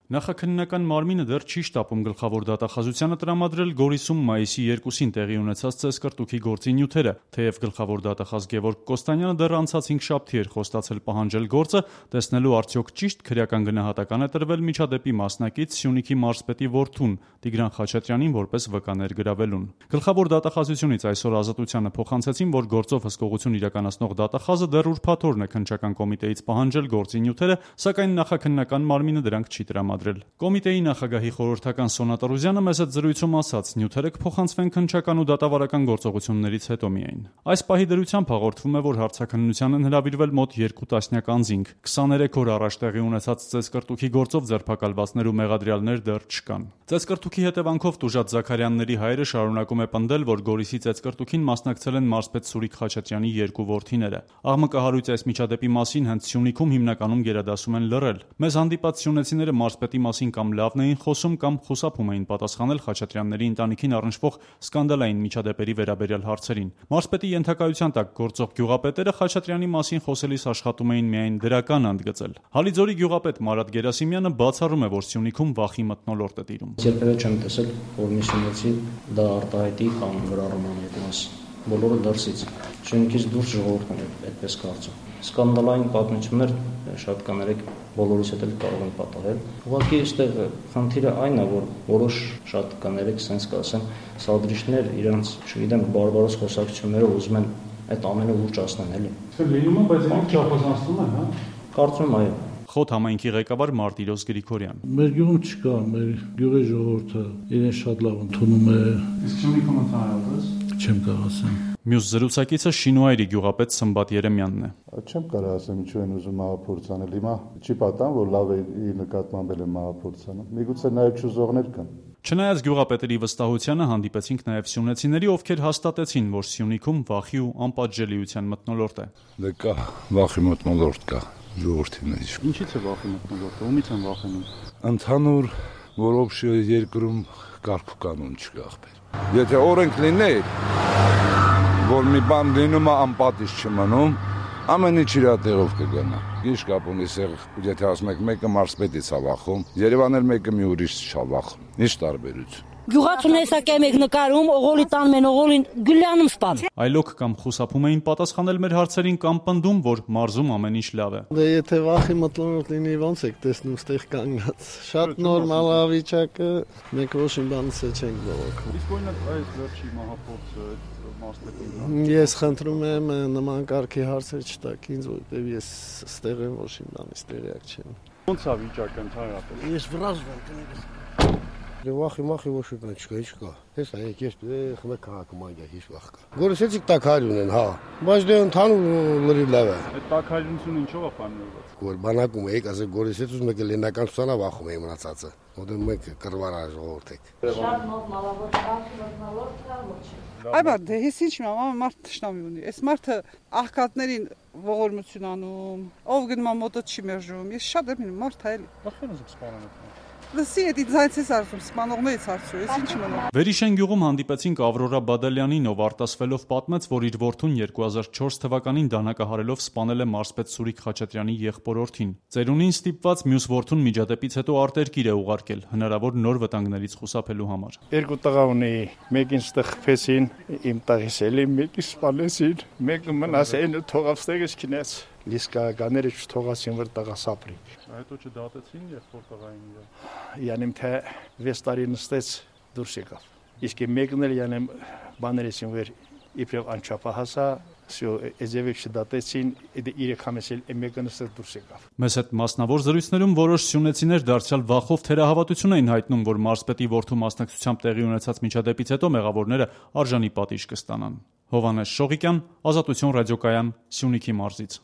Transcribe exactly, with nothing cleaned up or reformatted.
Նախաքննական մարմինը դեռ չի շտապում գլխավոր դատախազությանը տրամադրել Գորիսում մայիսի երկուսին տեղի ունեցած ծեսկռտուքի գործի նյութերը, թեև գլխավոր դատախազ Գևորգ Կոստանյանը դեռ անցած հինգշաբթի էր խոստացել պահանջել գործը, տեսնելու արդյոք ճիշտ քրեական գնահատական է տրվել միջադեպի մասնակից Սյունիքի մարզպետի որդուն Տիգրան Խաչատրյանին որպես վկա ներգրավելուն։ Գլխավոր դատախազությունից այսօր Ազատությանը փոխանցեցին, որ գործով հսկողություն իրականացնող դատախազը դեռ ուրբաթ օրն է քննչական կոմիտեից պահանջել գործի նյութերը, սակայն նախաքննական մարմինը դրանք չի տրամադրել։ Կոմիտեի նախագահի խորհրդական Սոնա Տարուզյանը մեծ այդ զրույցում ասաց, նյութերը կփոխանցվեն քննչական ու դատավարական գործողություններից հետո միայն։ Այս պահի դրությամբ հաղորդվում է, որ հարցաքննության են հրավիրվել մոտ երկու տասնյակ անձինք։ քսաներեք օր առաջ տեղի ունեցած ծեսկռտուքի գործով ձերբակալվածներ ու մեղադրյալներ դեռ չկան։ Ծեսկռտուքի հետևանքով տուժած Զաքարյանների հայրը շարունակում է պնդել, որ Գորիսի ծեսկռտուքին մասնակցել են մարզպետ Սուրիկ Խաչատրյանի երկու որդիները։ Աղմկահարույց այս միջադեպի մասին հենց Սյունիքում հիմնականում գերադասում են լռել։ Մեզ հանդիպած սյունեցիները մարզպետի մասին կամ լավն էին խոսում, կամ խուսափում էին պատասխանել Խաչատրյանների ընտանիքին առնչվող սկանդալային միջադեպերի վերաբերյալ հարցերին։ Մարզպետի ենթակայության տակ գործող գյուղապետերը Խաչատրյանի մասին խոսելիս աշխատում էին միայն դրական ընդգծել։ Հալիձորի գյուղապետ Մարատ Գերասիմյանը բացառում է, որ Սյունիքում վախի մթնոլորտ է տիրում։ Երբևէ չեմ տեսել, որ մի սյունեցի դա արտահայտի կամ գրառման այդ մաս։ Բոլորը դրսից։ Սյունիքից դուրս ժողովուրդն է այդպես կարծում։ Սկանդալային պատմություններ շատ կաներեք բոլորիս հետ էլ կարող են պատահել։ Ուղղակի այստեղ խնդիրը այն է, որ որոշ շատ կաներեք sense կասեն, սադրիչներ իրանց, չգիտեմ, բարբարոս խոսակցությունները ուզում են այդ ամենը ուռճացնեն, էլի։ Դա լինում է, բայց իրենք չափազանցնում են, հա։ Կարծում եմ, այո։ Խոտ համայնքի ղեկավար Մարտիրոս Գրիգորյան։ Մեր գյուղում չկա, մեր գյուղի ժողովուրդը իրեն շատ լավ ընդունում է։ Իսկ Սյունիքում ընդհանրապես չեմ կարող ասեմ։ Մյուս զրուցակիցը Շինուայրի գյուղապետ Սմբատ Երեմյանն է։ Չեմ կարող ասեմ ինչու են ուզում մահափորձ անել, հիմա չի պատահում, որ լավ է իր նկատմամբ էլ մահափորձ անում։ Միգուցե նաև չուզողներ կան։ Չնայած գյուղապետերի վստահությանը հանդիպեցինք նաև սյունեցիների, ովքեր հաստատեցին, որ Սյունիքում վախի ու անպատժելիության մթնոլորտ է։ Դե կա, վախի մթնոլորտ կա ժողովրդիների։ Ինչից է վախի մթնոլորտը, ումից են վախենում։ Ընդհանուր որոշ երկրում կարգ ու կանոն չկա ախպեր։ Եթե օրենք լիներ, որ մի բան լինում է անպատիժ չմնում, ամեն ինչ իր տեղով կգնա։ Ինչ կապ ունի սեղ, եթե ասում եք մեկը մարզպետից է վախում, Երևան էլ մեկը մի ուրիշ չի վախում։ Ինչ տարբերություն։ Գյուղացուն հեսակ եմ եք նկարում, օղոլի տան մեն օղոլին գլյանում սպան։ Այլոք կամ խուսափում էին պատասխանել մեր հարցերին կամ պնդում, որ մարզում ամեն ինչ լավ է։ Դե եթե վախի մթնոլորտ լինի, ոնց եք տեսնում ստեղ կանգնած։ Շատ նորմալ է վիճակը, մենք ոչինչ բանից չենք բողոքում։ Իսկ օրինակ այս վերջի մահափորձը մարզպետին։ Ես խնդրում եմ նման կարգի հարցեր չտաք ինձ, որտեղ ես ստեղ եմ ոչինչ բանից տեղյակ չեմ։ Ոնց է վիճակը ընդհանրապես։ Ես վրազում եմ։ Դե վախի մախի ոչ մի բան չկա, ինչ կա։ Հես այ ես խմե քաղաքում այդա հիշ վախ կա։ Գորիսեցիկ տակարյուն են, հա։ Բայց դե ընդհանուր լրի լավ է։ Այդ տակարյունությունը ինչով է պայմանավորված։ Որ բանակում եք, ասել Գորիսեցուց մեկը լենական ցանա վախում է մնացածը։ Որտեղ մեկ կրվարա ժողովուրդ եք։ Շատ նորմալավոր վախի մթնոլորտ կա ոչ։ Այ բա դե հես ինչ մամա մարդ տշնամի ունի։ Այս մարդը աղքատներին ողորմություն անում, ով գնում է մոտը չի մերժում։ Ես շատ եմ ինում մարդ այլ։ Ախր ուզում սպանել։ Լսի, էդի ձայցես արվում, սպանողներից հարցրու, ես ինչ մնում։ Վերիշեն գյուղում հանդիպեցինք Ավրորա Բադալյանին, ով արտասվելով պատմեց, որ իր որդուն երկու հազար չորս թվականին դանակահարելով սպանել է մարզպետ Սուրիկ Խաչատրյանի եղբորորդին։ Ծերունին ստիպված մյուս որդուն միջադեպից հետո արտերկիր է ուղարկել, հնարավոր նոր վտանգներից խուսափելու համար։ Երկու տղա ունի, մեկին ստղփեցին, իմ տղիս էլի, մեկին սպանեցին, մեկը մնաց այն թողավ ստեղից քնեց։ Լիսկականները չթողացին, որ տղա սապրի։ Հետո չդատեցին եղբոր տղային իրը։ Յանեմ թե վեց տարի նստեց դուրս եկավ։ Իսկ մեկն էլ յանեմ բաներեցին վեր իբրև անչափահասա, всё, էզևիկ չդատեցին, երեք համեսել մեկը նստեց դուրս եկավ։ Մեզ հետ մասնավոր զրույցներում որոշ սյունեցիներ դարձյալ վախով թերահավատություն էին հայտնում, որ մարզպետի որդու մասնակցությամբ տեղի ունեցած միջադեպից հետո մեղավորները արժանի պատիժ կստանան։ Հովհաննես Շողիկյան, Ազատություն ռադիոկայան, Սյունիքի մարզից։